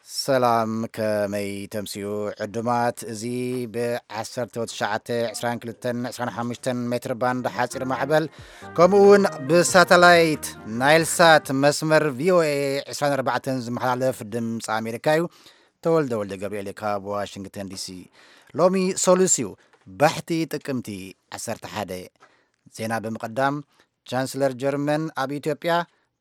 ሰላም፣ ከመይ ተምስዩ ዕዱማት? እዚ ብ19፣ 22፣ 25 ሜትር ባንድ ሓፂር ማዕበል፣ ከምኡ እውን ብሳተላይት ናይልሳት መስመር ቪኦኤ 24 ዝመሓላለፍ ድምፂ ኣሜሪካ እዩ። ተወልደ ወልደ ገብርኤል ካብ ዋሽንግተን ዲሲ። ሎሚ ሰሉስ እዩ፣ ባሕቲ ጥቅምቲ 11። ዜና ብምቕዳም፣ ቻንስለር ጀርመን ኣብ ኢትዮጵያ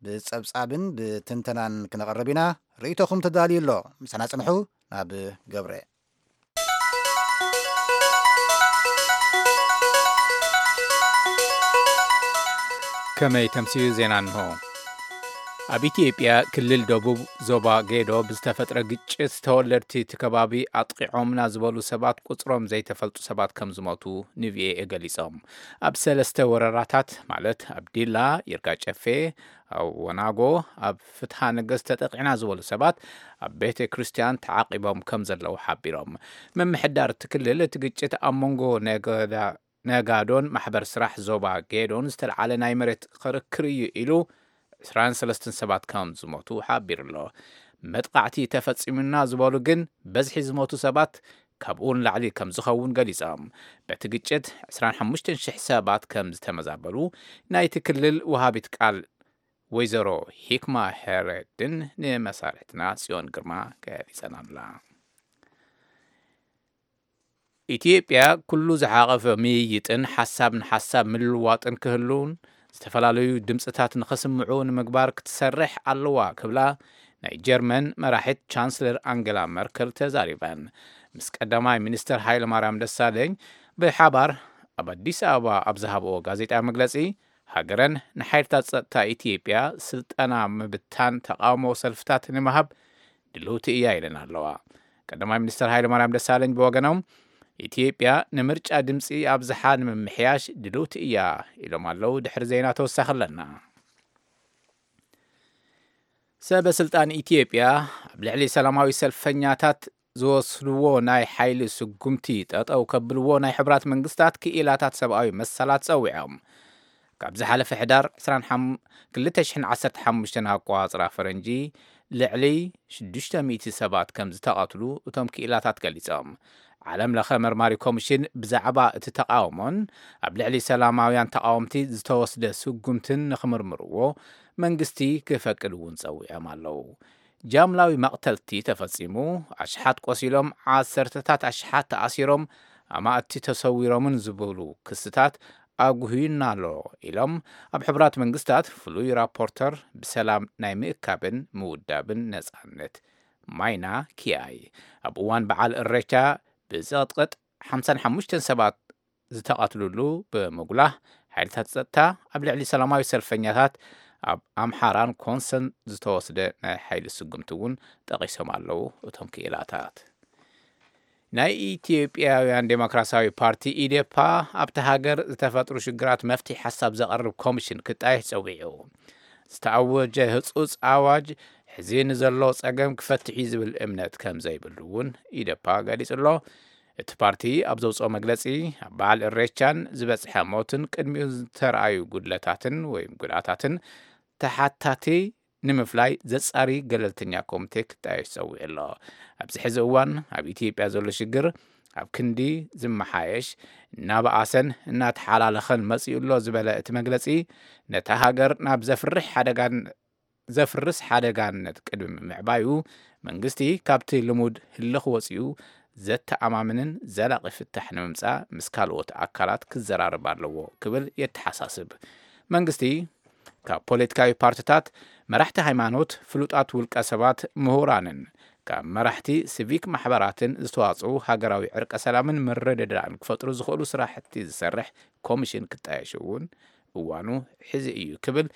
ብጸብጻብን ብትንተናን ክነቕርብ ኢና። ርእይቶኹም ተዳልዩ ኣሎ። ምሳና ጽንሑ። ናብ ገብረ። ከመይ ተምስዩ ዜና እንሆ። ኣብ ኢትዮጵያ ክልል ደቡብ ዞባ ጌዶ ብዝተፈጥረ ግጭት ተወለድቲ እቲ ከባቢ ኣጥቂዖምና ዝበሉ ሰባት ቁጽሮም ዘይተፈልጡ ሰባት ከም ዝሞቱ ንቪኦኤ ገሊጾም። ኣብ ሰለስተ ወረዳታት ማለት ኣብ ዲላ፣ ይርጋ ጨፌ፣ ኣብ ወናጎ፣ ኣብ ፍትሃ ነገስት ተጠቂዕና ዝበሉ ሰባት ኣብ ቤተ ክርስቲያን ተዓቂቦም ከም ዘለዉ ሓቢሮም። ምምሕዳር እቲ ክልል እቲ ግጭት ኣብ መንጎ ነገዳ ነጋዶን ማሕበር ስራሕ ዞባ ጌዶን ዝተልዓለ ናይ መሬት ክርክር እዩ ኢሉ 23 ሰባት ከም ዝሞቱ ሓቢሩ ኣሎ። መጥቃዕቲ ተፈጺሙና ዝበሉ ግን በዝሒ ዝሞቱ ሰባት ካብኡ ንላዕሊ ከም ዝኸውን ገሊጾም። በቲ ግጭት 25,000 ሰባት ከም ዝተመዛበሉ ናይቲ ክልል ወሃቢት ቃል ወይዘሮ ሂክማ ሄረድን ንመሳርሕትና ጽዮን ግርማ ገሊጸን ኣላ። ኢትዮጵያ ኩሉ ዝሓቐፈ ምይይጥን ሓሳብ ንሓሳብ ምልዋጥን ክህሉን ዝተፈላለዩ ድምፅታት ንኸስምዑ ንምግባር ክትሰርሕ ኣለዋ ክብላ ናይ ጀርመን መራሒት ቻንስለር ኣንገላ መርከል ተዛሪበን። ምስ ቀዳማይ ሚኒስትር ሃይለማርያም ደሳለኝ ብሓባር ኣብ ኣዲስ ኣበባ ኣብ ዝሃብኦ ጋዜጣ መግለፂ፣ ሃገረን ንሓይልታት ጸጥታ ኢትዮጵያ ስልጠና ምብታን ተቃውሞ ሰልፍታት ንምሃብ ድልውቲ እያ ኢለን ኣለዋ። ቀዳማይ ሚኒስትር ሃይለማርያም ደሳለኝ ብወገኖም፣ ኢትዮጵያ ንምርጫ ድምፂ ኣብዝሓ ንምምሕያሽ ድልውቲ እያ ኢሎም ኣለዉ። ድሕሪ ዜና ተወሳኺ ኣለና። ሰበ ስልጣን ኢትዮጵያ ኣብ ልዕሊ ሰላማዊ ሰልፈኛታት ዝወስድዎ ናይ ሓይሊ ስጉምቲ ጠጠው ከብልዎ ናይ ሕቡራት መንግስታት ክኢላታት ሰብኣዊ መሰላት ጸዊዖም። ካብ ዝሓለፈ ሕዳር 25፣ 2015 ኣቋጽራ ፈረንጂ ልዕሊ 600 ሰባት ከም ዝተቐትሉ እቶም ክኢላታት ገሊጾም። ዓለም ለኸ መርማሪ ኮሚሽን ብዛዕባ እቲ ተቃውሞን ኣብ ልዕሊ ሰላማውያን ተቃወምቲ ዝተወስደ ስጉምትን ንኽምርምርዎ መንግስቲ ክፈቅድ እውን ጸዊዖም ኣለዉ። ጃምላዊ መቕተልቲ ተፈጺሙ፣ ኣሽሓት ቆሲሎም፣ ዓሰርተታት ኣሽሓት ተኣሲሮም፣ ኣማእቲ ተሰዊሮምን ዝብሉ ክስታት ኣጉህዩና ኣሎ ኢሎም ኣብ ሕቡራት መንግስታት ፍሉይ ራፖርተር ብሰላም ናይ ምእካብን ምውዳብን ነጻነት ማይና ኪያይ። ኣብ እዋን በዓል እሬቻ ብዘቕጥቕጥ 55 ሰባት ዝተቐትሉሉ ብምጉላህ፣ ሓይልታት ጸጥታ ኣብ ልዕሊ ሰላማዊ ሰልፈኛታት ኣብ ኣምሓራን ኮንሶን ዝተወስደ ናይ ሓይሊ ስጉምቲ እውን ጠቒሶም ኣለዉ እቶም ክኢላታት። ናይ ኢትዮጵያውያን ዴሞክራሲያዊ ፓርቲ ኢዴፓ ኣብቲ ሃገር ዝተፈጥሩ ሽግራት መፍትሒ ሓሳብ ዘቐርብ ኮሚሽን ክጣየሽ ጸዊዑ። ዝተኣወጀ ህጹጽ ኣዋጅ ሕዚ ንዘሎ ጸገም ክፈትሕ እዩ ዝብል እምነት ከም ዘይብሉ እውን ኢዴፓ ገሊጹ ኣሎ። እቲ ፓርቲ ኣብ ዘውፅኦ መግለፂ፣ ኣብ በዓል እሬቻን ዝበፅሐ ሞትን ቅድሚኡ ዝተረኣዩ ጉድለታትን ወይ ጉድኣታትን ተሓታቲ ንምፍላይ ዘፃሪ ገለልተኛ ኮሚቴ ክጣየሽ ፀዊዑ ኣሎ። ኣብዚ ሕዚ እዋን ኣብ ኢትዮጵያ ዘሎ ሽግር ኣብ ክንዲ ዝመሓየሽ፣ እናበኣሰን እናተሓላለኸን መፂኡ ኣሎ ዝበለ እቲ መግለፂ፣ ነታ ሃገር ናብ ዘፍርሕ ሓደጋን ዘፍርስ ሓደጋነት ቅድሚ ምዕባዩ፣ መንግስቲ ካብቲ ልሙድ ህልኽ ወፂኡ ዘተኣማምንን ዘላቒ ፍታሕ ንምምፃእ ምስ ካልኦት ኣካላት ክዘራረብ ኣለዎ ክብል የተሓሳስብ። መንግስቲ ካብ ፖለቲካዊ ፓርቲታት፣ መራሕቲ ሃይማኖት፣ ፍሉጣት ውልቀ ሰባት፣ ምሁራንን ካብ መራሕቲ ሲቪክ ማሕበራትን ዝተዋፅኡ ሃገራዊ ዕርቀ ሰላምን ምርድዳእን ክፈጥሩ ዝኽእሉ ስራሕቲ ዝሰርሕ ኮሚሽን ክጣየሽ እውን እዋኑ ሕዚ እዩ ክብል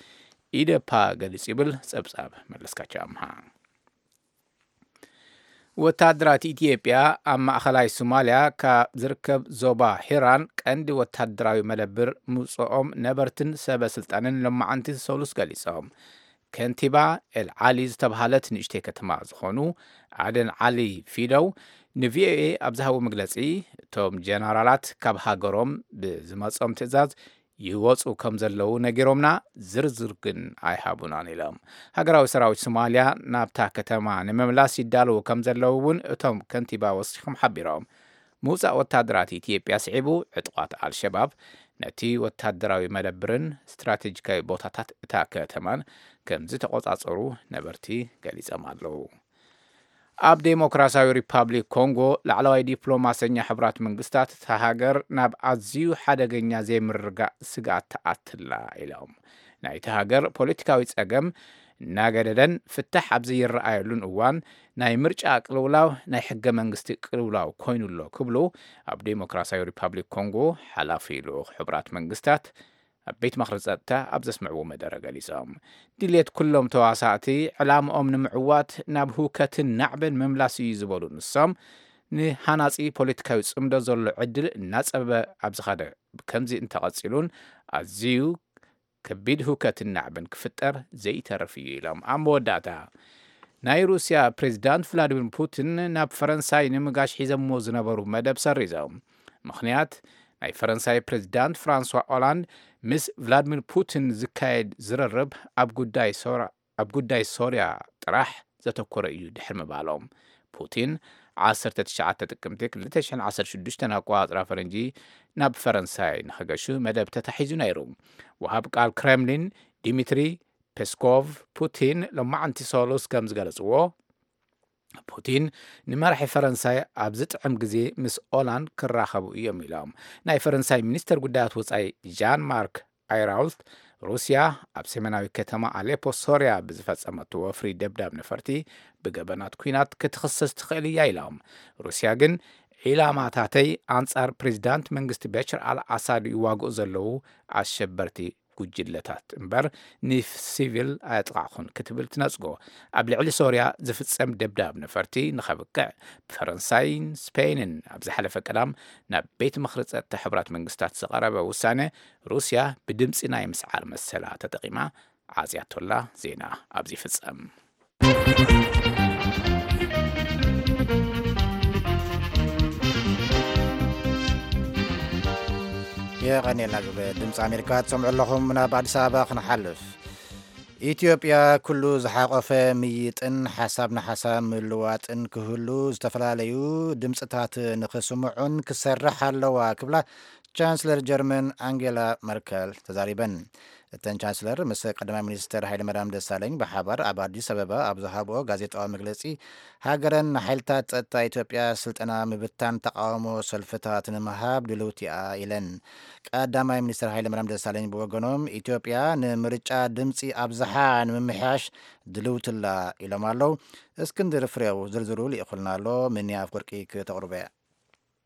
ኢዴፓ ገሊጹ ይብል ጸብጻብ መለስካቸው ኣምሃ። ወታደራት ኢትዮጵያ ኣብ ማእኸላይ ሶማልያ ካብ ዝርከብ ዞባ ሂራን ቀንዲ ወታደራዊ መደብር ምውፅኦም ነበርትን ሰበ ስልጣንን ሎማዓንቲ ሰሉስ ገሊጾም። ከንቲባ ኤል ዓሊ ዝተባሃለት ንእሽተይ ከተማ ዝኾኑ ኣደን ዓሊ ፊደው ንቪኦኤ ኣብ ዝሃቡ መግለፂ፣ እቶም ጀነራላት ካብ ሃገሮም ብዝመጾም ትእዛዝ ይወፁ ከም ዘለዉ ነጊሮምና፣ ዝርዝር ግን ኣይሃቡናን ኢሎም። ሃገራዊ ሰራዊት ሶማልያ ናብታ ከተማ ንምምላስ ይዳለዉ ከም ዘለዉ እውን እቶም ከንቲባ ወሲኾም ሓቢሮም። ምውፃእ ወታደራት ኢትዮጵያ ስዒቡ፣ ዕጡቓት ኣልሸባብ ነቲ ወታደራዊ መደብርን ስትራቴጂካዊ ቦታታት እታ ከተማን ከም ዝተቖጻጸሩ ነበርቲ ገሊጾም ኣለዉ። ኣብ ዴሞክራሲያዊ ሪፓብሊክ ኮንጎ፣ ላዕለዋይ ዲፕሎማሰኛ ሕቡራት መንግስታት፣ እታ ሃገር ናብ ኣዝዩ ሓደገኛ ዘይምርግጋእ ስግኣት ትኣትላ ኢሎም። ናይቲ ሃገር ፖለቲካዊ ጸገም እናገደደን ፍታሕ ኣብ ዘይረኣየሉን እዋን፣ ናይ ምርጫ ቅልውላው ናይ ሕገ መንግስቲ ቅልውላው ኮይኑ ኣሎ ክብሉ ኣብ ዴሞክራሲያዊ ሪፓብሊክ ኮንጎ ሓላፊ ልኡኽ ሕቡራት መንግስታት ኣብ ቤት ምኽሪ ጸጥታ ኣብ ዘስምዕዎ መደረ ገሊጾም። ድሌት ኩሎም ተዋሳእቲ ዕላምኦም ንምዕዋት ናብ ህውከትን ናዕብን ምምላስ እዩ ዝበሉ ንሶም፣ ንሃናጺ ፖለቲካዊ ጽምዶ ዘሎ ዕድል እናጸበበ ኣብ ዝኸደ፣ ከምዚ እንተቐጺሉን ኣዝዩ ከቢድ ህውከትን ናዕብን ክፍጠር ዘይተርፍ እዩ ኢሎም። ኣብ መወዳእታ፣ ናይ ሩስያ ፕሬዚዳንት ቭላዲሚር ፑቲን ናብ ፈረንሳይ ንምጋሽ ሒዘምዎ ዝነበሩ መደብ ሰሪዞም። ምኽንያት፣ ናይ ፈረንሳይ ፕሬዚዳንት ፍራንሷ ኦላንድ ምስ ቭላዲሚር ፑቲን ዝካየድ ዝርርብ ኣብ ጉዳይ ሶራ-፣ ኣብ ጉዳይ ሶርያ ጥራሕ ዘተኮረ እዩ ድሕሪ ምባሎም። ፑቲን ዓሰርተ ትሽዓተ ጥቅምቲ ክልተ ሽሕን ዓሰርተ ሽዱሽተን ኣቆጻጽራ ፈረንጂ ናብ ፈረንሳይ ንኸገሹ መደብ ተታሒዙ ነይሩ። ወሃብ ቃል ክሬምሊን ዲሚትሪ ፔስኮቭ፣ ፑቲን ሎማዕንቲ ሰሉስ ከም ዝገለጽዎ፣ ፑቲን ንመራሒ ፈረንሳይ ኣብ ዝጥዕም ግዜ ምስ ኦላንድ ክራኸቡ እዮም ኢሎም። ናይ ፈረንሳይ ሚኒስተር ጉዳያት ወጻኢ ዣን ማርክ ኣይራውት፣ ሩስያ ኣብ ሰሜናዊ ከተማ ኣሌፖ ሶርያ ብዝፈጸመቶ ወፍሪ ደብዳብ ነፈርቲ ብገበናት ኲናት ክትኽሰስ ትኽእል እያ ኢሎም። ሩስያ ግን፣ ዒላማታተይ ኣንጻር ፕሬዚዳንት መንግስቲ በሽር ኣል ኣሳድ ይዋግኡ ዘለዉ ኣሸበርቲ ጉጅለታት እምበር፣ ንሲቪል ኣየጥቓዕኹን ክትብል ትነጽጎ። ኣብ ልዕሊ ሶርያ ዝፍጸም ደብዳብ ነፈርቲ ንኸብቅዕ፣ ብፈረንሳይን ስፔንን ኣብ ዝሓለፈ ቀዳም ናብ ቤት ምኽሪ ጸጥታ ሕቡራት መንግስታት ዝቐረበ ውሳነ፣ ሩስያ ብድምጺ ናይ ምስዓር መሰላ ተጠቒማ ዓጽያቶላ። ዜና ኣብዚ ይፍጸም። የቐኔልና። ግብሪ ድምፂ ኣሜሪካ ትሰምዑ ኣለኹም። ናብ ኣዲስ ኣበባ ክንሓልፍ። ኢትዮጵያ ኩሉ ዝሓቆፈ ምይጥን ሓሳብ ንሓሳብ ምልዋጥን ክህሉ፣ ዝተፈላለዩ ድምፅታት ንክስምዑን ክሰርሕ ኣለዋ ክብላ ቻንስለር ጀርመን ኣንጌላ መርከል ተዛሪበን። እተን ቻንስለር ምስ ቀዳማይ ሚኒስትር ሃይለማርያም ደሳለኝ ብሓባር ኣብ ኣዲስ ኣበባ ኣብ ዝሃብኦ ጋዜጣዊ መግለፂ፣ ሃገረን ንሓይልታት ጸጥታ ኢትዮጵያ ስልጠና ምብታን ተቓውሞ ሰልፍታት ንምሃብ ድልውቲ እያ ኢለን። ቀዳማይ ሚኒስትር ሃይለማርያም ደሳለኝ ብወገኖም፣ ኢትዮጵያ ንምርጫ ድምፂ ኣብዝሓ ንምምሕያሽ ድልውትላ ኢሎም ኣለዉ። እስክንድር ፍሬው ዝርዝሩ ልኢኹልና ኣሎ። ምንያ ኣፍወርቂ ክተቕርቦ እያ።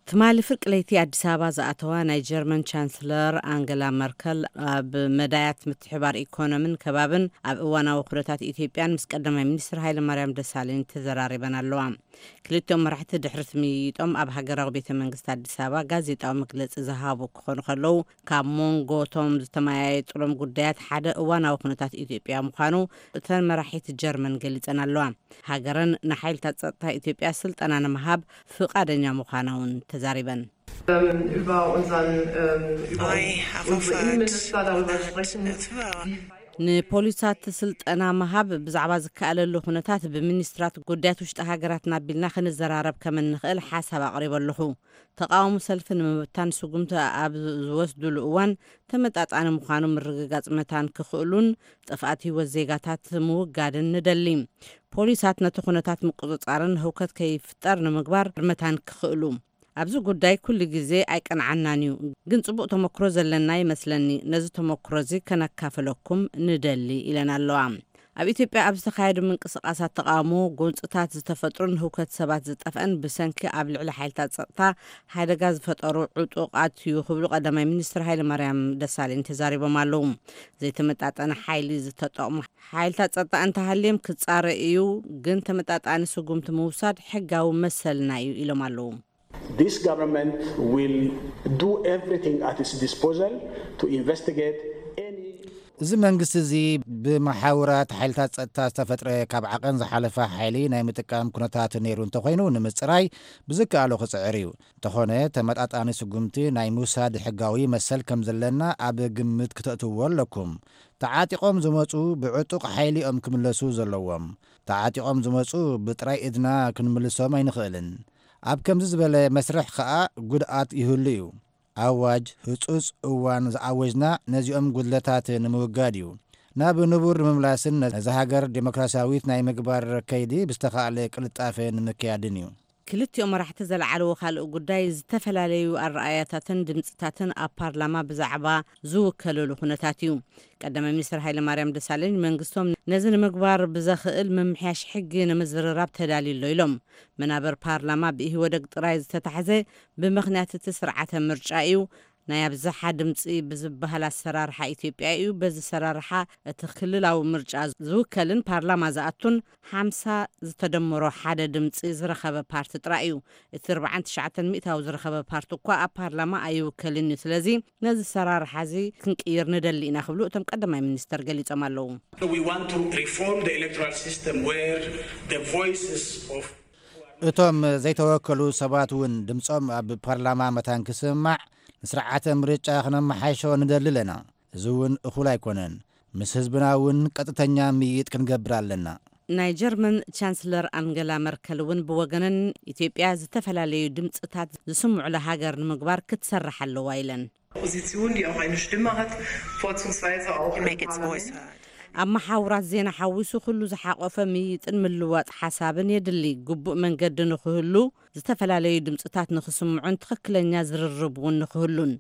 ትማሊ ፍርቂ ለይቲ ኣዲስ ኣበባ ዝኣተዋ ናይ ጀርመን ቻንስለር ኣንገላ መርከል፣ ኣብ መዳያት ምትሕባር ኢኮኖምን ከባብን ኣብ እዋናዊ ኩነታት ኢትዮጵያን ምስ ቀዳማይ ሚኒስትር ሃይለማርያም ደሳለኝ ተዘራሪበን ኣለዋ። ክልቲኦም መራሕቲ ድሕሪ እቲ ምይይጦም ኣብ ሃገራዊ ቤተ መንግስቲ ኣዲስ ኣበባ ጋዜጣዊ መግለጺ ዝሃቡ ክኾኑ ከለዉ፣ ካብ መንጎ እቶም ዝተመያየጡሎም ጉዳያት ሓደ እዋናዊ ኩነታት ኢትዮጵያ ምዃኑ እተን መራሒት ጀርመን ገሊጸን ኣለዋ። ሃገረን ንሓይልታት ጸጥታ ኢትዮጵያ ስልጠና ንምሃብ ፍቓደኛ ምዃና እውን ተዛሪበን። Ähm, über unseren, ähm, über I uns-, have unsere offered Innenminister darüber sprechen, that, uh, wie weit ንፖሊሳት ስልጠና ምሃብ ብዛዕባ ዝከኣለሉ ኩነታት ብሚኒስትራት ጉዳያት ውሽጢ ሃገራትና ኣቢልና ክንዘራረብ ከም እንኽእል ሓሳብ ኣቕሪበ ኣለኹ። ተቓውሞ ሰልፊ ንምብታን ስጉምቲ ኣብ ዝወስዱሉ እዋን ተመጣጣኒ ምዃኑ ምርግጋጽ መታን ክኽእሉን ጥፍኣት ህይወት ዜጋታት ምውጋድን ንደሊ። ፖሊሳት ነቲ ኩነታት ምቁጽጻርን ህውከት ከይፍጠር ንምግባር መታን ክኽእሉ። ኣብዚ ጉዳይ ኩሉ ግዜ ኣይቀንዓናን እዩ፣ ግን ጽቡቕ ተመክሮ ዘለና ይመስለኒ። ነዚ ተመክሮ እዚ ከነካፍለኩም ንደሊ ኢለን ኣለዋ። ኣብ ኢትዮጵያ ኣብ ዝተኻየዱ ምንቅስቓሳት ተቓውሞ፣ ጎንጽታት ዝተፈጥሩን ህውከት ሰባት ዝጠፍአን ብሰንኪ ኣብ ልዕሊ ሓይልታት ጸጥታ ሓደጋ ዝፈጠሩ ዕጡቓት እዩ ክብሉ ቀዳማይ ሚኒስትር ሃይለማርያም ደሳለኝ ተዛሪቦም ኣለዉ። ዘይተመጣጠነ ሓይሊ ዝተጠቕሙ ሓይልታት ጸጥታ እንተሃልዮም ክጻረ እዩ፣ ግን ተመጣጣኒ ስጉምቲ ምውሳድ ሕጋዊ መሰልና እዩ ኢሎም ኣለዉ። This government will do everything at its disposal to investigate any እዚ መንግስቲ እዚ ብመሓውራት ሓይልታት ጸጥታ ዝተፈጥረ ካብ ዓቐን ዝሓለፈ ሓይሊ ናይ ምጥቃም ኩነታት ነይሩ እንተኾይኑ ንምጽራይ ብዝከኣሎ ክጽዕር እዩ። እንተኾነ ተመጣጣኒ ስጉምቲ ናይ ምውሳድ ሕጋዊ መሰል ከም ዘለና ኣብ ግምት ክተእትዎ ኣለኩም። ተዓጢቖም ዝመጹ ብዕጡቕ ሓይሊ እዮም ክምለሱ ዘለዎም። ተዓጢቖም ዝመጹ ብጥራይ እድና ክንምልሶም ኣይንኽእልን። ኣብ ከምዚ ዝበለ መስርሕ ከኣ ጉድኣት ይህሉ እዩ። ኣዋጅ ህጹጽ እዋን ዝኣወጅና ነዚኦም ጉድለታት ንምውጋድ እዩ። ናብ ንቡር ንምምላስን ነዛ ሃገር ዴሞክራሲያዊት ናይ ምግባር ከይዲ ብዝተኻእለ ቅልጣፈ ንምክያድን እዩ። ክልቲኦም መራሕቲ ዘለዓለዎ ካልእ ጉዳይ ዝተፈላለዩ ኣረኣያታትን ድምፅታትን ኣብ ፓርላማ ብዛዕባ ዝውከለሉ ኩነታት እዩ። ቀዳማይ ሚኒስትር ሃይለማርያም ደሳለኝ መንግስቶም ነዚ ንምግባር ብዘኽእል ምምሕያሽ ሕጊ ንምዝርራብ ተዳልዩ ኣሎ ኢሎም። መናበር ፓርላማ ብኢህወደግ ጥራይ ዝተታሕዘ ብምኽንያት እቲ ስርዓተ ምርጫ እዩ። ናይ ኣብዝሓ ድምፂ ብዝበሃል ኣሰራርሓ ኢትዮጵያ እዩ። በዚ ኣሰራርሓ እቲ ክልላዊ ምርጫ ዝውከልን ፓርላማ ዝኣቱን ሓምሳ ዝተደመሮ ሓደ ድምፂ ዝረኸበ ፓርቲ ጥራይ እዩ። እቲ ኣርባዓን ትሽዓተን ሚእታዊ ዝረኸበ ፓርቲ እኳ ኣብ ፓርላማ ኣይውከልን እዩ። ስለዚ ነዚ ኣሰራርሓ እዚ ክንቅይር ንደሊ ኢና ክብሉ እቶም ቀዳማይ ሚኒስተር ገሊጾም ኣለዉ። We want to reform the electoral system where the voices of እቶም ዘይተወከሉ ሰባት እውን ድምጾም ኣብ ፓርላማ መታን ክስማዕ ንስርዓተ ምርጫ ክነመሓይሾ ንደሊ ኣለና። እዚ እውን እኹል ኣይኮነን። ምስ ህዝብና እውን ቀጥተኛ ምይይጥ ክንገብር ኣለና። ናይ ጀርመን ቻንስለር ኣንገላ መርከል እውን ብወገነን ኢትዮጵያ ዝተፈላለዩ ድምፅታት ዝስምዑላ ሃገር ንምግባር ክትሰርሕ ኣለዋ ኢለን። Opposition, die auch eine Stimme hat, vorzugsweise auch in Make its voice heard. ኣብ መሓውራት ዜና ሓዊሱ ኩሉ ዝሓቆፈ ምይይጥን ምልዋጥ ሓሳብን የድሊ። ግቡእ መንገዲ ንክህሉ፣ ዝተፈላለዩ ድምፅታት ንክስምዑን ትኽክለኛ ዝርርብ እውን ንክህሉን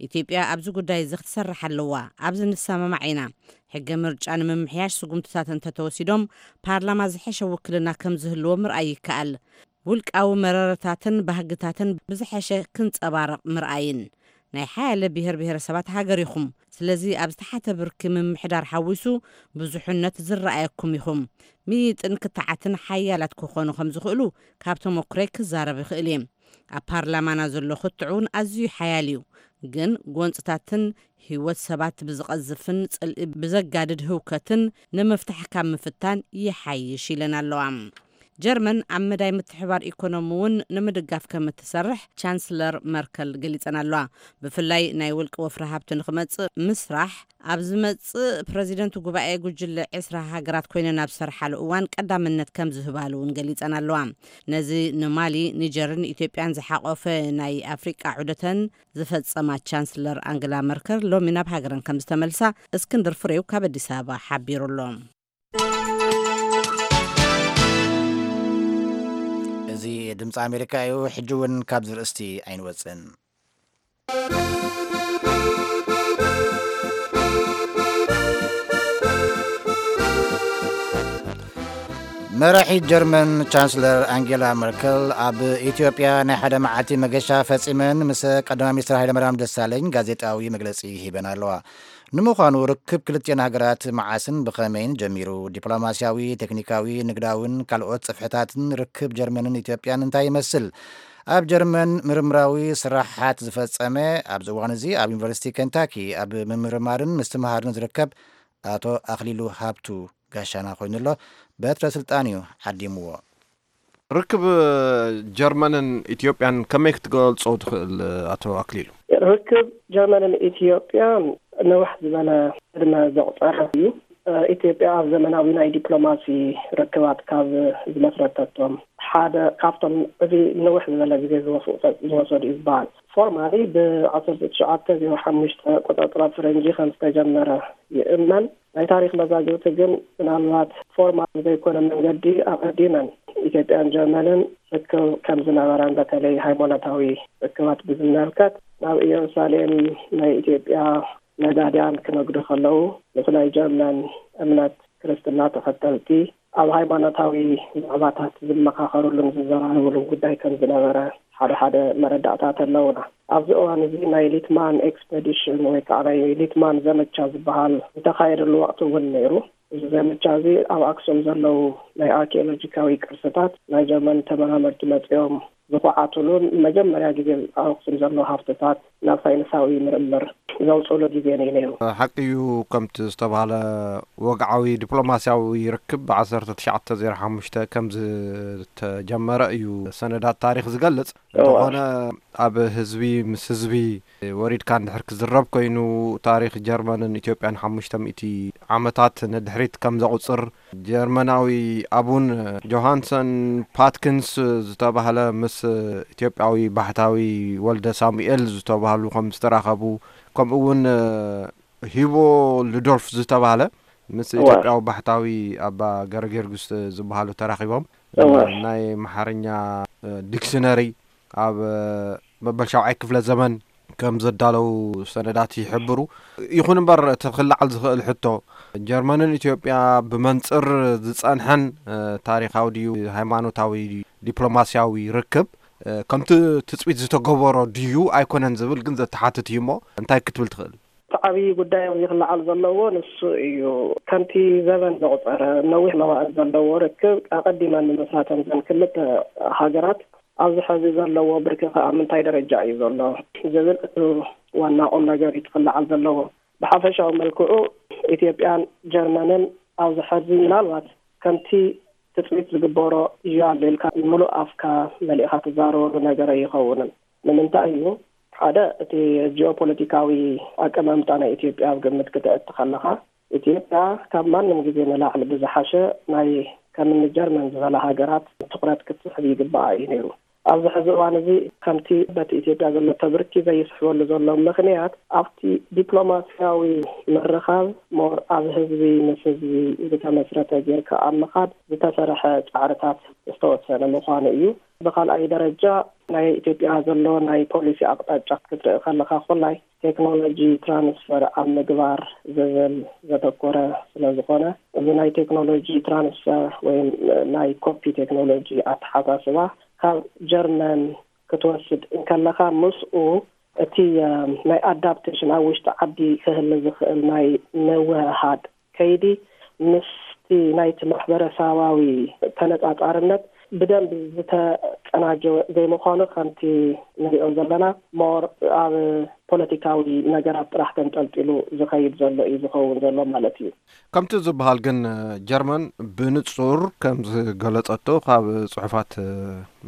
ኢትዮጵያ ኣብዚ ጉዳይ እዚ ክትሰርሕ ኣለዋ። ኣብዚ ንሰማማዕ ኢና። ሕገ ምርጫ ንምምሕያሽ ስጉምትታት እንተተወሲዶም ፓርላማ ዝሐሸ ውክልና ከም ዝህልዎ ምርኣይ ይከኣል። ውልቃዊ መረረታትን ባህግታትን ብዝሐሸ ክንጸባረቕ ምርኣይን። ናይ ሓያለ ብሔር ብሔረሰባት ሃገር ኢኹም። ስለዚ ኣብ ዝተሓተ ብርኪ ምምሕዳር ሓዊሱ ብዙሕነት ዝረኣየኩም ኢኹም። ምይይጥን ክትዓትን ሓያላት ክኾኑ ከም ዝኽእሉ ካብ ተመኩሮይ ክዛረብ ይኽእል እየ። ኣብ ፓርላማና ዘሎ ክትዕ እውን ኣዝዩ ሓያል እዩ። ግን ጎንፅታትን ህይወት ሰባት ብዝቐዝፍን ጽልኢ ብዘጋድድ ህውከትን ንምፍታሕ ካብ ምፍታን ይሓይሽ ኢለን ኣለዋ። ጀርመን ኣብ መዳይ ምትሕባር ኢኮኖሚ እውን ንምድጋፍ ከም እትሰርሕ ቻንስለር መርከል ገሊጸን ኣለዋ። ብፍላይ ናይ ውልቂ ወፍሪ ሃብቲ ንክመጽእ ምስራሕ ኣብ ዝመጽእ ፕረዚደንት ጉባኤ ጉጅለ ዕስራ ሃገራት ኮይነን ኣብ ዝሰርሓሉ እዋን ቀዳምነት ከም ዝህባሉ እውን ገሊጸን ኣለዋ። ነዚ ንማሊ፣ ኒጀርን ኢትዮጵያን ዝሓቆፈ ናይ ኣፍሪቃ ዑደተን ዝፈጸማ ቻንስለር ኣንግላ መርከል ሎሚ ናብ ሃገረን ከም ዝተመልሳ እስክንድር ፍሬው ካብ ኣዲስ ኣበባ ሓቢሩ ኣሎ። እዚ ድምፂ ኣሜሪካ እዩ። ሕጂ እውን ካብዚ ርእስቲ ኣይንወፅን። መራሒት ጀርመን ቻንስለር ኣንጌላ መርከል ኣብ ኢትዮጵያ ናይ ሓደ መዓልቲ መገሻ ፈጺመን ምስ ቀዳማይ ሚኒስትር ሃይለማርያም ደሳለኝ ጋዜጣዊ መግለጺ ሂበን ኣለዋ። ንምዃኑ ርክብ ክልቲኤን ሃገራት መዓስን ብኸመይን ጀሚሩ? ዲፕሎማስያዊ፣ ቴክኒካዊ፣ ንግዳውን ካልኦት ጽፍሕታትን ርክብ ጀርመንን ኢትዮጵያን እንታይ ይመስል? ኣብ ጀርመን ምርምራዊ ስራሓት ዝፈጸመ፣ ኣብዚ እዋን እዚ ኣብ ዩኒቨርሲቲ ኬንታኪ ኣብ ምምርማርን ምስትምሃርን ዝርከብ ኣቶ ኣኽሊሉ ሃብቱ ጋሻና ኮይኑ ኣሎ። በትረ ስልጣን እዩ ዓዲምዎ። ርክብ ጀርመንን ኢትዮጵያን ከመይ ክትገልጾ ትኽእል ኣቶ ኣክሊሉ? ርክብ ጀርመንን ኢትዮጵያን ነውሕ ዝበለ ዕድመ ዘቑጸረ እዩ። ኢትዮጵያ ኣብ ዘመናዊ ናይ ዲፕሎማሲ ርክባት ካብ ዝመስረተቶም ሓደ ካብቶም እዚ ነውሕ ዝበለ ግዜ ዝወስዱ፣ ዝወሰዱ እዩ ዝበሃል። ፎርማሊ ብ ዓሰርተ ትሽዓተ ዜሮ ሓሙሽተ ኣቆጻጽራ ፈረንጂ ከም ዝተጀመረ ይእመን። ናይ ታሪኽ መዛግብቲ ግን ምናልባት ፎርማል ብዘይኮነ መንገዲ ኣቐዲመን ኢትዮጵያን ጀርመንን ርክብ ከም ዝነበረን በተለይ ሃይማኖታዊ ርክባት ብዝመልከት ናብ ኢየሩሳሌም ናይ ኢትዮጵያ ነጋድያን ክነግዱ ከለዉ ምስ ናይ ጀርመን እምነት ክርስትና ተኸተልቲ ኣብ ሃይማኖታዊ ዛዕባታት ዝመኻኸሩሉን ዝዘራረቡሉን ጉዳይ ከም ዝነበረ ሓደ ሓደ መረዳእታት ኣለዉና። ኣብዚ እዋን እዚ ናይ ሊትማን ኤክስፐዲሽን ወይ ከዓ ናይ ሊትማን ዘመቻ ዝበሃል ዝተኻየደሉ ወቕቲ እውን ነይሩ። እዚ ዘመቻ እዚ ኣብ ኣክሱም ዘለዉ ናይ ኣርኪኦሎጂካዊ ቅርስታት ናይ ጀርመን ተመራመርቲ መጺኦም ዝኹዓትሉን መጀመርያ ግዜ ኣብ ኣኽሱም ዘሎ ሃፍትታት ናብ ሳይንሳዊ ምርምር ዘውፅሉ ግዜ እዩ ነይሩ። ሓቂ እዩ፣ ከምቲ ዝተባህለ ወግዓዊ ዲፕሎማስያዊ ርክብ ብ1905 ከም ዝተጀመረ እዩ ሰነዳት ታሪኽ ዝገልጽ። እንተኾነ ኣብ ህዝቢ ምስ ህዝቢ ወሪድካ እንድሕር ክዝረብ ኮይኑ፣ ታሪኽ ጀርመንን ኢትዮጵያን ሓሙሽተ ሚእቲ ዓመታት ንድሕሪት ከም ዘቑጽር ጀርመናዊ ኣቡን ጆሃንሰን ፓትኪንስ ዝተባህለ ምስ ኢትዮጵያዊ ባሕታዊ ወልደ ሳሙኤል ዝተባህሉ ከም ዝተራኸቡ፣ ከምኡ እውን ሂቦ ሉዶልፍ ዝተባህለ ምስ ኢትዮጵያዊ ባሕታዊ ኣባ ገረጊዮርጊስ ዝበሃሉ ተራኺቦም ናይ መሓርኛ ዲክሽነሪ ኣብ መበል ሻውዓይ ክፍለ ዘመን ከም ዘዳለው ሰነዳት ይሕብሩ። ይኹን እምበር እቲ ክለዓል ዝኽእል ሕቶ፣ ጀርመንን ኢትዮጵያ ብመንጽር ዝጸንሐን ታሪኻዊ ድዩ ሃይማኖታዊ ዲፕሎማስያዊ ርክብ ከምቲ ትጽቢት ዝተገበሮ ድዩ ኣይኮነን ዝብል ግን ዘተሓትት እዩ። እሞ እንታይ ክትብል ትኽእል? እቲ ዓብዪ ጉዳይ ኣብዚ ክለዓል ዘለዎ ንሱ እዩ። ከምቲ ዘበን ዘቑጸረ ነዊሕ መዋእል ዘለዎ ርክብ ኣቐዲመን ምምስራተን ዘን ክልተ ሃገራት ኣብዚ ሐዚ ዘለዎ ብርኪ ከኣ ምንታይ ደረጃ እዩ ዘሎ ዝብል እቲ ዋና ቁም ነገር እዩ ክለዓል ዘለዎ። ብሓፈሻዊ መልክዑ ኢትዮጵያን ጀርመንን ኣብዚ ሐዚ ምናልባት ከምቲ ትጽቢት ዝግበሮ እዩ ኣሎ ኢልካ ምሉእ ኣፍካ መሊእኻ ትዛረበሉ ነገር ኣይኸውንን። ንምንታይ እዩ? ሓደ፣ እቲ ጂኦፖለቲካዊ ኣቀማምጣ ናይ ኢትዮጵያ ኣብ ግምት ክተእቲ ከለኻ፣ ኢትዮጵያ ካብ ማንም ግዜ ንላዕሊ ብዝሓሸ ናይ ከምኒ ጀርመን ዝበላ ሃገራት ትኹረት ክትስሕብ ይግባኣ እዩ ነይሩ። ኣብዚ ሕዚ እዋን እዚ ከምቲ በቲ ኢትዮጵያ ዘሎ ተብርኪ ዘይስሕበሉ ዘሎ ምኽንያት፣ ኣብቲ ዲፕሎማስያዊ ምርኻብ ሞር ኣብ ህዝቢ ምስ ህዝቢ ዝተመስረተ ጌርካ ኣብ ምኻድ ዝተሰርሐ ጻዕርታት ዝተወሰነ ምዃኑ እዩ። ብኻልኣይ ደረጃ ናይ ኢትዮጵያ ዘሎ ናይ ፖሊሲ ኣቕጣጫ ክትርኢ ከለኻ፣ ኩላይ ቴክኖሎጂ ትራንስፈር ኣብ ምግባር ዝብል ዘተኮረ ስለ ዝኾነ፣ እዚ ናይ ቴክኖሎጂ ትራንስፈር ወይ ናይ ኮፒ ቴክኖሎጂ ኣተሓሳስባ ካብ ጀርመን ክትወስድ እንከለኻ፣ ምስኡ እቲ ናይ ኣዳፕቴሽን ኣብ ውሽጢ ዓዲ ክህሊ ዝኽእል ናይ ምውህሃድ ከይዲ ምስቲ ናይቲ ማሕበረሰባዊ ተነጻጻርነት ብደንቢ ዝተቀናጀወ ዘይምዃኑ፣ ከምቲ ንሪኦ ዘለና ሞር ኣብ ፖለቲካዊ ነገራት ጥራሕ ተንጠልጢሉ ዝኸይድ ዘሎ እዩ ዝኸውን ዘሎ ማለት እዩ። ከምቲ ዝበሃል ግን፣ ጀርመን ብንጹር ከም ዝገለጸቶ ካብ ጽሑፋት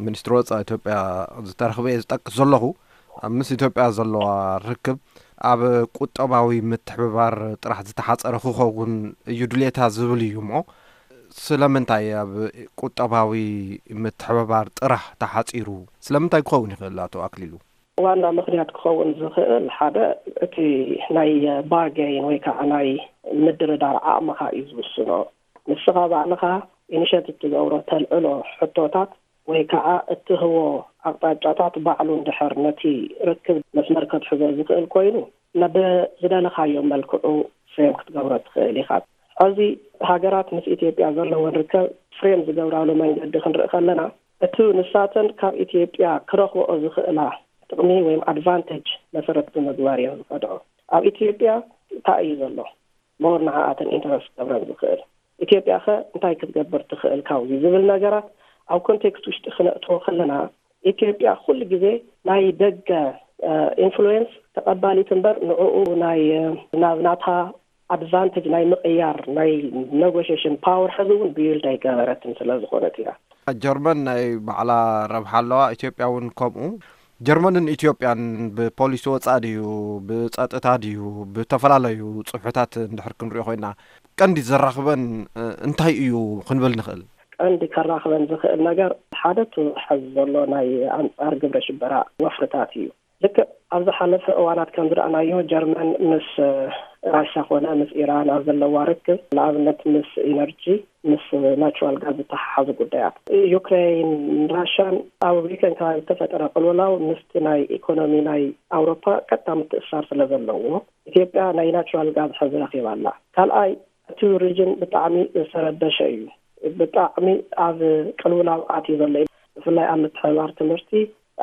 ሚኒስትሪ ወጻኢ ኢትዮጵያ ዝተረኽበ እየ ዝጠቅስ ዘለኹ። ኣብ ምስ ኢትዮጵያ ዘለዋ ርክብ ኣብ ቁጠባዊ ምትሕብባር ጥራሕ ዝተሓጸረ ክኸውን እዩ ድሌታ ዝብል እዩ። እሞ ስለምንታይ ኣብ ቁጠባዊ ምትሕብባር ጥራሕ ተሓጺሩ? ስለምንታይ ክኸውን ይኽእል ኣቶ ኣክሊሉ? ዋና ምኽንያት ክኸውን ዝኽእል፣ ሓደ፣ እቲ ናይ ባርጌን ወይ ከዓ ናይ ምድርዳር ዓቕምኻ እዩ ዝውስኖ። ንስኻ ባዕልኻ ኢኒሼቲቭ ትገብሮ፣ ተልዕሎ ሕቶታት ወይ ከዓ እትህቦ ኣቕጣጫታት ባዕሉ እንድሕር ነቲ ርክብ መስመር ከትሕዞ ዝኽእል ኮይኑ፣ ናብ ዝደለኻዮ መልክዑ ፍሬም ክትገብሮ ትኽእል ኢኻ። ሕዚ ሃገራት ምስ ኢትዮጵያ ዘለወን ርከብ ፍሬም ዝገብራሉ መንገዲ ክንርኢ ከለና፣ እቲ ንሳተን ካብ ኢትዮጵያ ክረኽብኦ ዝኽእላ ጥቕሚ ወይም ኣድቫንቴጅ መሰረት ብምግባር እየን ዝኸድዖ። ኣብ ኢትዮጵያ እንታይ እዩ ዘሎ ሞር ንዓኣተን ኢንተረስት ክገብረን ዝኽእል? ኢትዮጵያ ኸ እንታይ ክትገብር ትኽእል ካብዚ ዝብል ነገራት ኣብ ኮንቴክስት ውሽጢ ክነእትዎ ከለና፣ ኢትዮጵያ ኩሉ ግዜ ናይ ደገ ኢንፍሉዌንስ ተቐባሊት እምበር፣ ንዕኡ ናይ ናብ ናታ ኣድቫንቴጅ ናይ ምቕያር ናይ ኔጎሽሽን ፓወር ሕዚ እውን ቢውልድ ኣይገበረትን ስለ ዝኾነት እያ። ጀርመን ናይ ባዕላ ረብሓ ኣለዋ፣ ኢትዮጵያ እውን ከምኡ። ጀርመንን ኢትዮጵያን ብፖሊሲ ወፃኢ ድዩ፣ ብፀጥታ ድዩ፣ ብተፈላለዩ ፅሑታት እንድሕር ክንሪኦ ኮይና፣ ቀንዲ ዘራኽበን እንታይ እዩ ክንብል ንኽእል? ቀንዲ ከራኽበን ዝኽእል ነገር ሓደ እቲ ሕዚ ዘሎ ናይ ኣንፃር ግብረ ሽበራ ወፍርታት እዩ። ልክዕ ኣብ ዝሓለፈ እዋናት ከም ዝረኣናዮ፣ ጀርመን ምስ ራሻ ኮነ ምስ ኢራን ኣብ ዘለዋ ርክብ፣ ንኣብነት ምስ ኢነርጂ፣ ምስ ናቹራል ጋዝ ዝተሓሓዙ ጉዳያት፣ ዩክሬን፣ ራሻን ኣብ ዩክሬን ከባቢ ዝተፈጠረ ቅልውላው ምስቲ ናይ ኢኮኖሚ ናይ ኣውሮፓ ቀጥታ ምትእስሳር ስለ ዘለዎ፣ ኢትዮጵያ ናይ ናቹራል ጋዝ ሕዚ ረኺባ ኣላ። ካልኣይ፣ እቲ ሪጅን ብጣዕሚ ዝተረበሸ እዩ። ብጣዕሚ ኣብ ቅልውላው ኣትዩ ዘሎ እዩ። ብፍላይ ኣብ ምትሕብባር ትምህርቲ፣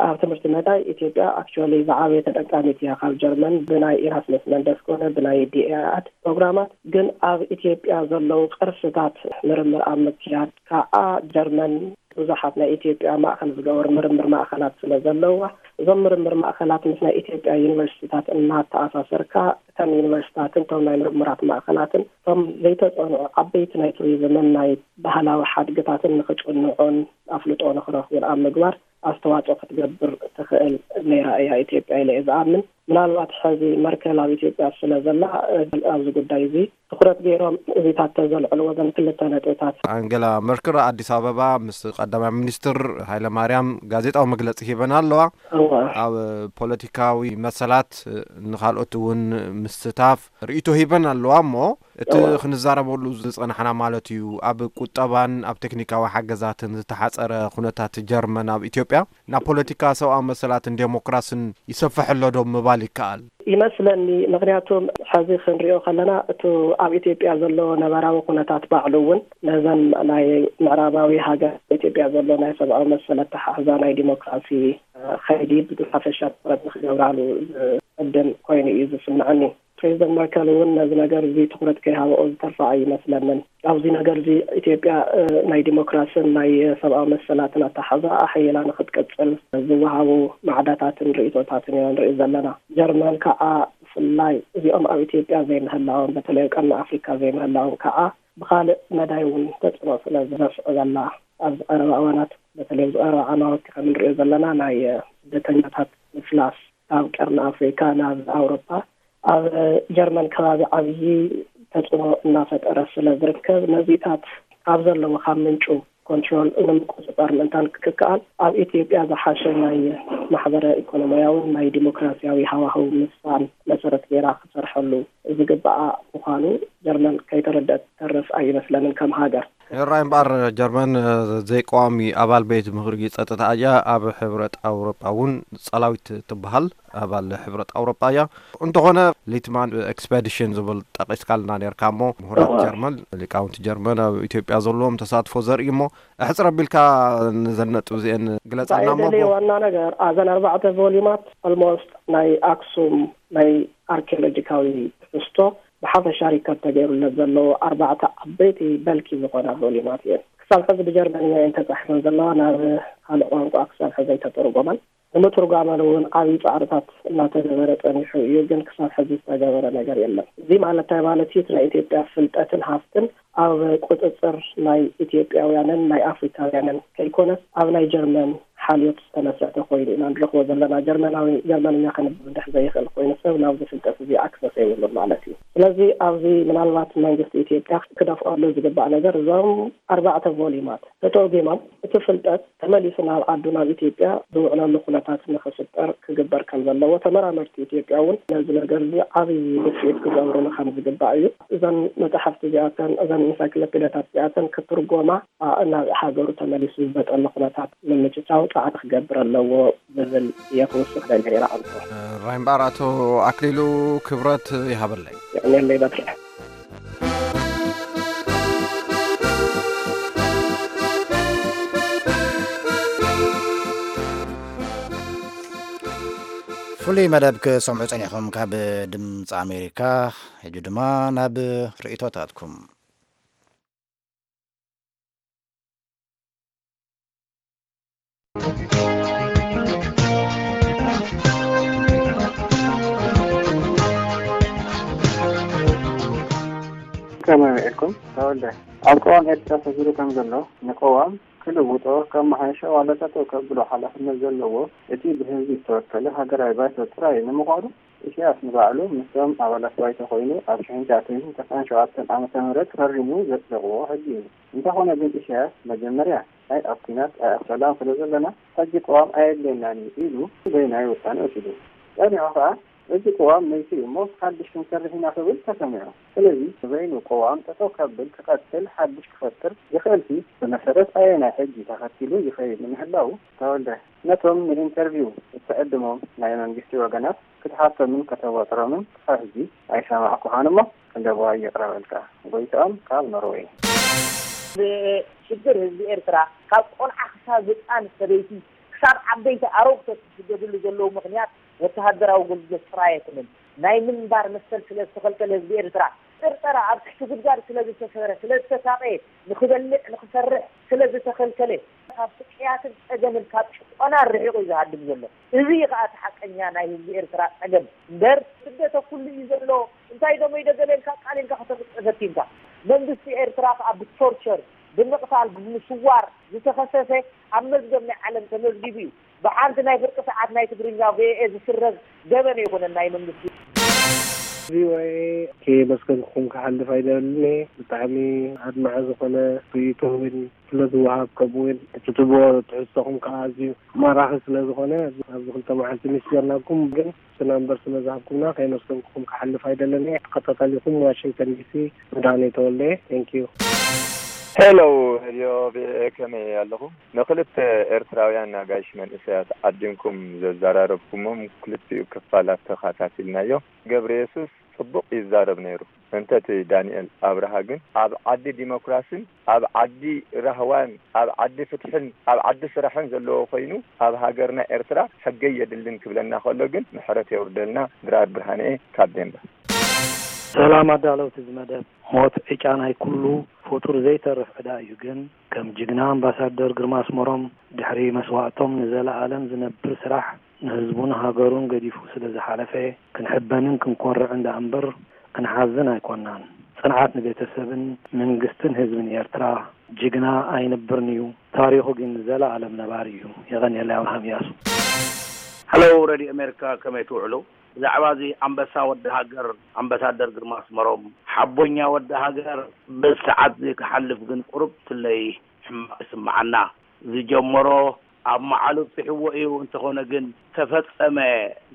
ኣብ ትምህርቲ መዳይ ኢትዮጵያ ኣክቹዋሊ ዝዓበየ ተጠቃሚት እያ ካብ ጀርመን ብናይ ኢራስመስ መንደስ ኮነ ብናይ ዲኤኣድ ፕሮግራማት። ግን ኣብ ኢትዮጵያ ዘለዉ ቅርስታት ምርምር ኣብ ምክያድ ከዓ ጀርመን ብዙሓት ናይ ኢትዮጵያ ማእኸል ዝገበሩ ምርምር ማእኸላት ስለ ዘለዋ፣ እዞም ምርምር ማእኸላት ምስ ናይ ኢትዮጵያ ዩኒቨርሲቲታት እናተኣሳሰርካ፣ እተን ዩኒቨርሲቲታትን እቶም ናይ ምርምራት ማእኸላትን እቶም ዘይተጸንዑ ዓበይቲ ናይ ቱሪዝምን ናይ ባህላዊ ሓድግታትን ንኽጽንዑን ኣፍልጦ ንኽረኽቡን ኣብ ምግባር ኣስተዋጽኦ ክትገብር ትኽእል ነይራ እያ ኢትዮጵያ ኢለ እየ ዝኣምን። ምናልባት ሕዚ መርከል ኣብ ኢትዮጵያ ስለ ዘላ፣ እ፣ ኣብዚ ጉዳይ እዚ ትኹረት ገይሮም እዚታት ተዘልዕልዎ ዘን ክልተ ነጥብታት። ኣንገላ መርክል ኣዲስ ኣበባ ምስ ቀዳማይ ሚኒስትር ሃይለማርያም ጋዜጣዊ መግለጺ ሂበን ኣለዋ። እዋ። ኣብ ፖለቲካዊ መሰላት ንኻልኦት እውን ምስታፍ ርእይቶ ሂበን ኣለዋ። እሞ እቲ እዋ። ክንዛረበሉ ዝጸናሕና ማለት እዩ፣ ኣብ ቁጠባን ኣብ ቴክኒካዊ ሓገዛትን ዝተሓጸረ ኩነታት ጀርመን ኣብ ኢትዮጵያ ናብ ፖለቲካ፣ ሰብኣዊ መሰላትን ዴሞክራስን ይሰፍሕ ኣሎ ዶ ምባል ይከኣል? ይመስለኒ። ምኽንያቱም ሕዚ ክንሪኦ ከለና፣ እቲ ኣብ ኢትዮጵያ ዘሎ ነባራዊ ኩነታት ባዕሉ እውን ነዘን ናይ ምዕራባዊ ሃገር ኢትዮጵያ ዘሎ ናይ ሰብኣዊ መሰል ኣተሓሕዛ፣ ናይ ዲሞክራሲ፣ እ፣ ኸይዲ ብሓፈሻ ትኹረት ንክገብራሉ ዝዕድም ኮይኑ እዩ ዝስምዐኒ። ፕሬዚደንት መርከል እውን ነዚ ነገር እዚ ትኹረት ከይሃበኦ ዝተርፋ ኣይመስለንን። ኣብዚ ነገር እዚ ኢትዮጵያ፣ እ፣ ናይ ዲሞክራስን ናይ ሰብኣዊ መሰላትን ኣተሓሕዛ ኣሕይላ ንክትቅጽል ዝወሃቡ ማዕዳታትን ርእይቶታትን ኢና ንርኢ ዘለና። ጀርመን ከዓ ብፍላይ እዚኦም ኣብ ኢትዮጵያ ዘይምህላዎም፣ በተለይ ኣብ ቀርኒ ኣፍሪካ ዘይምህላዎም ከዓ ብኻልእ መዳይ እውን ተጽዕኖ ስለ ዘስዕበላ፣ ኣብዚ ቀረባ እዋናት፣ በተለይ ኣብዚ ቀረባ ዓማውቲ ከም እንሪኦ ዘለና፣ ናይ፣ እ፣ ስደተኛታት ምፍላስ ካብ ቀርኒ ኣፍሪካ ናብ ኣውሮፓ ኣብ ጀርመን ከባቢ ዓብዪ ተጽዕኖ እናፈጠረ ስለ ዝርከብ፣ ነዚታት ካብ ዘለዎ ካብ ምንጩ ኮንትሮል ንምቁጽጻር ምእንታን ክከኣል፣ ኣብ ኢትዮጵያ ዝሓሸ ናይ ማሕበረ ኢኮኖሚያውን ናይ ዲሞክራሲያዊ ሃዋህው ምስፋን መሰረት ገይራ ክሰርሐሉ ዝግባኣ ምዃኑ ጀርመን ከይተረድአት ትተርፍ ኣይመስለንን ከም ሃገር። ሕራይ እምበኣር፣ ጀርመን፣ እ፣ ዘይቀዋሚ ኣባል ቤት ምኽሪ ጸጥታ እያ። ኣብ ሕብረት ኣውሮጳ እውን ጸላዊት ትበሃል ኣባል ሕብረት ኣውሮጳ እያ። እንተኾነ፣ ሊትማን ኤክስፐዲሽን ዝብል ጠቒስካልና ነርካ እሞ፣ ምሁራት እዋ። ጀርመን፣ ሊቃውንቲ ጀርመን ኣብ ኢትዮጵያ ዘለዎም ተሳትፎ ዘርኢ እሞ፣ ኣሕጽር ኣቢልካ ነዘን ነጥቢ እዚአን ግለጻልና እንታይ እሞ። የደለየ ዋና ነገር፣ ኣዘን ኣርባዕተ ቮሊማት ኦልሞስት ናይ ኣክሱም ናይ ኣርኪኦሎጂካዊ ትሕዝቶ ብሓፈሻ ሪከርድ ተገይሩለት ዘለዎ ኣርባዕተ ዓበይቲ በልኪ ዝኾና ቮሊማት እየን። ክሳብ ሕዚ ብጀርመንኛ እየን ተጻሒፈን ዘለዋ፣ ናብ ካልእ ቋንቋ ክሳብ ሕዚ ኣይተተርጎማን። ንምትርጓመን እውን ዓብዪ ጻዕርታት እናተገበረ ጸኒሑ እዩ፣ ግን ክሳብ ሕዚ ዝተገበረ ነገር የለን። እዚ ማለት እንታይ ማለት እዩ? እቲ ናይ ኢትዮጵያ ፍልጠትን ሃፍትን ኣብ ቁጽጽር ናይ ኢትዮጵያውያንን ናይ ኣፍሪካውያንን ከይኮነስ፣ ኣብ ናይ ጀርመን ሓልዮት ዝተመስረተ ኮይኑ ኢና ንረኽቦ ዘለና። ጀርመናዊ፣ ጀርመንኛ ከንብብ እንድሕር ዘይኽእል ኮይኑ፣ ሰብ ናብዚ ፍልጠት እዚ ኣክሰስ የብሉን ማለት እዩ። ስለዚ ኣብዚ ምናልባት መንግስቲ ኢትዮጵያ ክደፍኣሉ ዝግባእ ነገር፣ እዞም ኣርባዕተ ቮሊማት ተተርጒሞም፣ እቲ ፍልጠት ተመሊሱ ናብ ዓዱ፣ ናብ ኢትዮጵያ ዝውዕለሉ ኩነታት ንኽፍጠር ክግበር ከም ዘለዎ፣ ተመራመርቲ ኢትዮጵያ እውን ነዚ ነገር እዚ ዓብዪ ውፅኢት ክገብሩሉ ከም ዝግባእ እዩ። እዘን መጻሕፍቲ እዚኣተን፣ እዘን ኢንሳይክሎፔድያታት እዚኣተን ክትርጎማ፣ ኣ፣ ናብ ሃገሩ ተመሊሱ ዝመጠሉ ኩነታት ንምምችቻው ጻዕሪ ክገብር ኣለዎ ዝብል እየ ክውስኽ ደልየ ይረኣንቶ። ራይምባር ኣቶ ኣክሊሉ ክብረት ይሃበለይ። የቕንየለይ በትሪ። ፍሉይ መደብ ክሰምዑ ጸኒሕኩም ካብ ድምፂ ኣሜሪካ። ሕጂ ድማ ናብ ርእይቶታትኩም። ከመይ ውዒልኩም? ተወልደ፣ ኣብ ቅዋም ኤርትራ ሰፊሩ ከም ዘሎ፣ ንቅዋም ክልውጦ፣ ከመሓይሾ ዋላ ጠጠው ከብሎ ሓላፍነት ዘለዎ እቲ ብህዝቢ ዝተወከለ ሃገራዊ ባይቶ ጥራይ እዩ። ንምዃኑ፣ ኢሳያስ ንባዕሉ ምስቶም ኣባላት ባይቶ ኮይኑ ኣብ ሽሕን ትሽዓተ ሚእትን ተስዓን ሸውዓተን ዓመተ ምህረት ፈሪሙ ዘጽደቕዎ ሕጊ እዩ። እንተኾነ ግን ኢሳያስ መጀመርያ ኣይ ኣብ ኲናት ኣይ ኣብ ሰላም ስለ ዘለና ሕጂ ቅዋም ኣየድልየናን እዩ ኢሉ በይናይ ውሳነ ወሲዱ። ጸኒሑ ከኣ እዚ ቅዋም መይቱ እዩ እሞ ሓድሽ ክንሰርሕ ኢና ክብል ተሰሚዑ። ስለዚ ንበይኑ ቅዋም ጠጠው ከብል ክቐጽል ሓድሽ ክፈጥር ይኽእልሲ ብመሰረት ኣየናይ ሕጊ ተኸቲሉ ይኸይድ ንምህላዉ ተወልደ ነቶም ንኢንተርቪው እትዕድሞም ናይ መንግስቲ ወገናት ክትሓቶምን ከተዋጥሮምን ክሳብ ሕጂ ኣይሰማዕኩኻን እሞ፣ ክንደቦ ይቕረበልካ። ጎይትኦም ካብ ኖርወይ። ሽግር ህዝቢ ኤርትራ ካብ ቆልዓ ክሳብ ህፃን ሰበይቲ ክሳብ ዓበይቲ ኣረግቶት ዝስደድሉ ዘለዉ ምኽንያት ወተሃደራዊ ኣገልግሎት ጥራይ ኣይኮነን። ናይ ምንባር መሰል ስለ ዝተኸልከለ ህዝቢ ኤርትራ ጥርጠራ ኣብ ትሕቲ ጉድጓድ ስለ ዝተሰረ፣ ስለ ዝተሳቐየ፣ ንኽበልዕ ንኽሰርሕ ስለ ዝተኸልከለ፣ ካብ ስቅያትን ጸገምን ካብ ጭቆና ርሒቑ እዩ ዝሃድም ዘሎ። እዚ እዩ ከኣ እቲ ሓቀኛ ናይ ህዝቢ ኤርትራ ጸገም እምበር፣ ስደት ኩሉ እዩ ዘሎ። እንታይ ደሞ ይደገለ ኢልካ ቃል ኢልካ ከተምጽእ ፈቲንካ። መንግስቲ ኤርትራ ከኣ ብቶርቸር፣ ብምቕታል፣ ብምስዋር ዝተኸሰሰ ኣብ መዝገብ ናይ ዓለም ተመዝጊቡ እዩ። ብሓንቲ ናይ ፍርቂ ሰዓት ናይ ትግርኛ ቪኦኤ ዝስረዝ ገበን ኣይኮነን ናይ መንግስቲ። ቪኦኤ ከየመስገንኩም ክሓልፍ ኣይደልን እየ። ብጣዕሚ ኣድማዒ ዝኾነ ርእይቶ እውን ስለ ዝወሃብ፣ ከምኡ እውን እቲ ትብዎ ትሕዝቶኹም ከዓ ኣዝዩ ማራኺ ስለ ዝኾነ ኣብዚ ክልተ መዓልቲ ሚስ ጀርናኩም ግን ስና እምበር ስለ ዝሃብኩምና ከየመስገንኩም ክሓልፍ ኣይደልን እየ። ተኸታታሊኹም ዋሽንግተን ዲሲ መድሃኔ ተወልደ። Thank you። ሄሎ ሬድዮ ቪኦኤ፣ ከመይ ኣለኹም? ንክልተ ኤርትራውያን ኣጋይሽ መንእሰያት ዓዲምኩም ዘዘራረብኩሞም ክልቲኡ ክፋላት ተኸታቲልናዮ። ገብረ የሱስ ጽቡቕ ይዛረብ ነይሩ። እንተ እቲ ዳንኤል ኣብርሃ ግን ኣብ ዓዲ ዲሞክራስን ኣብ ዓዲ ራህዋን ኣብ ዓዲ ፍትሕን ኣብ ዓዲ ስራሕን ዘለዎ ኮይኑ ኣብ ሃገርና ኤርትራ ሕገ የድልን ክብለና ከሎ ግን ምሕረት የውርደልና። ድራር ብርሃንኤ ካብ ዴንቨር። ሰላም ኣዳለውቲ እዚ መደብ። ሞት ዕጫ ናይ ኩሉ ፍጡር ዘይተርፍ ዕዳ እዩ። ግን ከም ጅግና ኣምባሳደር ግርማ ኣስመሮም ድሕሪ መስዋእቶም ንዘለኣለም ዝነብር ስራሕ ንህዝቡን ሃገሩን ገዲፉ ስለ ዝሓለፈ ክንሕበንን ክንኮርዕን ደኣ እምበር ክንሓዝን ኣይኮናን። ጽንዓት ንቤተሰብን መንግስትን ህዝብን ኤርትራ። ጅግና ኣይንብርን እዩ፣ ታሪኹ ግን ንዘለኣለም ነባሪ እዩ። የቐንየለይ ኣብርሃም እያሱ። ሃሎ ሬድዮ ኣሜሪካ፣ ከመይ ትውዕሉ? ብዛዕባ እዚ ኣንበሳ ወዲ ሃገር ኣምባሳደር ግርማ ኣስመሮም፣ ሓቦኛ ወዲ ሃገር፣ በዚ ሰዓት እዚ ክሓልፍ ግን ቁሩብ ትለይ ሕማቕ ይስምዓና። ዝጀመሮ ኣብ መዓሉ ኣብጺሕዎ እዩ፣ እንተኾነ ግን ተፈጸመ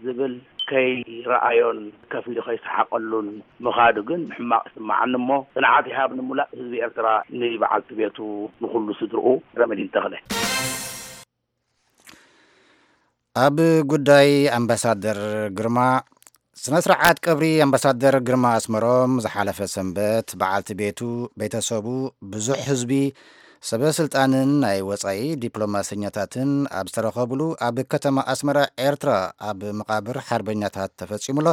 ዝብል ከይረኣዮን ከፊሉ ከይሰሓቐሉን ምኻዱ ግን ሕማቕ ይስምዓኒ። እሞ ጽንዓት ይሃብ ንሙላእ ህዝቢ ኤርትራ፣ ንበዓልቲ ቤቱ፣ ንኹሉ ስድርኡ። ረመዲን ተኽለ። ኣብ ጉዳይ ኣምባሳደር ግርማ፣ ስነ ስርዓት ቀብሪ ኣምባሳደር ግርማ ኣስመሮም ዝሓለፈ ሰንበት በዓልቲ ቤቱ፣ ቤተሰቡ፣ ብዙሕ ህዝቢ፣ ሰበ ስልጣንን ናይ ወጻኢ ዲፕሎማሰኛታትን ኣብ ዝተረኸብሉ ኣብ ከተማ ኣስመራ ኤርትራ ኣብ መቓብር ሓርበኛታት ተፈጺሙ ኣሎ።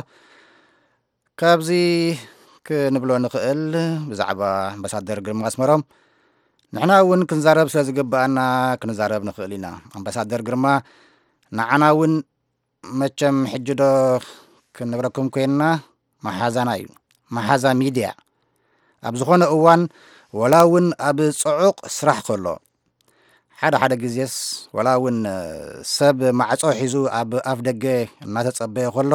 ካብዚ ክንብሎ ንኽእል ብዛዕባ ኣምባሳደር ግርማ ኣስመሮም፣ ንሕና እውን ክንዛረብ ስለ ዝግብኣና ክንዛረብ ንኽእል ኢና። ኣምባሳደር ግርማ ንዓና እውን መቸም ሕጂ ዶ ክንነግረኩም ኮይንና፣ መሓዛና እዩ። መሓዛ ሚድያ ኣብ ዝኾነ እዋን፣ ወላ እውን ኣብ ጽዑቕ ስራሕ ከሎ፣ ሓደ ሓደ ግዜስ ወላ እውን ሰብ ማዕጾ ሒዙ ኣብ ኣፍ ደገ እናተጸበየ ከሎ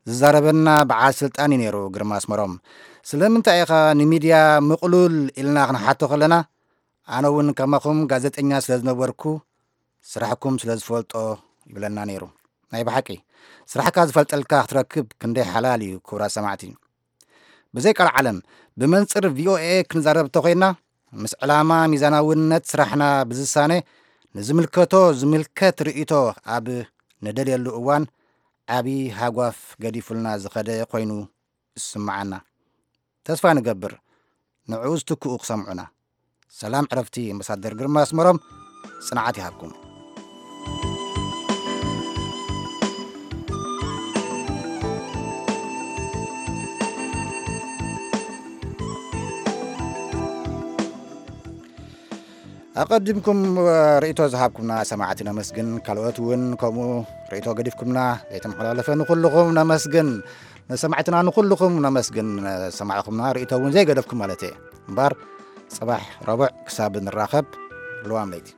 ዝዛረበና በዓል ስልጣን እዩ ነይሩ ግርማ ኣስመሮም። ስለምንታይ ኢኻ ንሚድያ ምቕሉል ኢልና ክንሓቶ ከለና፣ ኣነ እውን ከማኹም ጋዜጠኛ ስለ ዝነበርኩ ስራሕኩም ስለ ዝፈልጦ ይብለና ነይሩ። ናይ ብሓቂ ስራሕካ ዝፈልጠልካ ክትረክብ ክንደይ ሓላል እዩ ክቡራት ሰማዕቲ። ብዘይ ቃል ዓለም ብመንጽር ቪኦኤ ክንዛረብ እንተኾይንና፣ ምስ ዕላማ ሚዛናውነት ስራሕና ብዝሳነ ንዝምልከቶ ዝምልከት ርእይቶ ኣብ ንደልየሉ እዋን ዓቢ ሃጓፍ ገዲፉልና ዝኸደ ኮይኑ ይስምዓና። ተስፋ ንገብር ንዕኡ ዝትክኡ ክሰምዑና። ሰላም ዕረፍቲ ኣምባሳደር ግርማ ኣስመሮም፣ ጽንዓት ይሃብኩም። ኣቐዲምኩም ርእይቶ ዝሃብኩምና ሰማዕቲ ነመስግን። ካልኦት እውን ከምኡ ርእይቶ ገዲፍኩምና ዘይተመሓላለፈ ንኹልኹም ነመስግን። ንሰማዕትና ንኹልኹም ነመስግን። ሰማዕኹምና ርእይቶ እውን ዘይገደፍኩም ማለት እየ። እምበር ጽባሕ ረቡዕ ክሳብ ንራኸብ፣ ልዋም ለይቲ።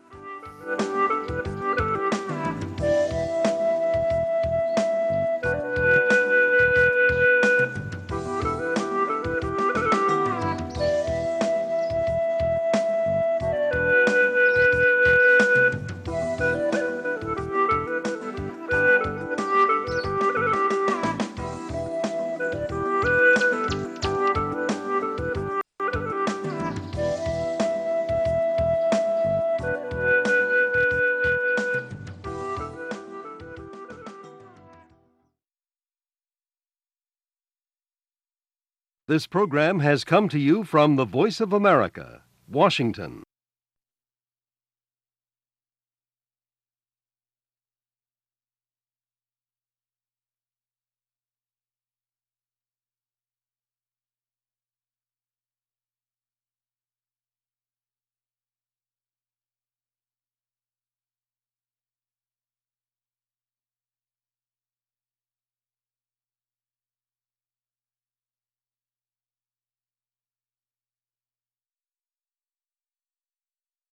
This program has come to you from the Voice of America, Washington.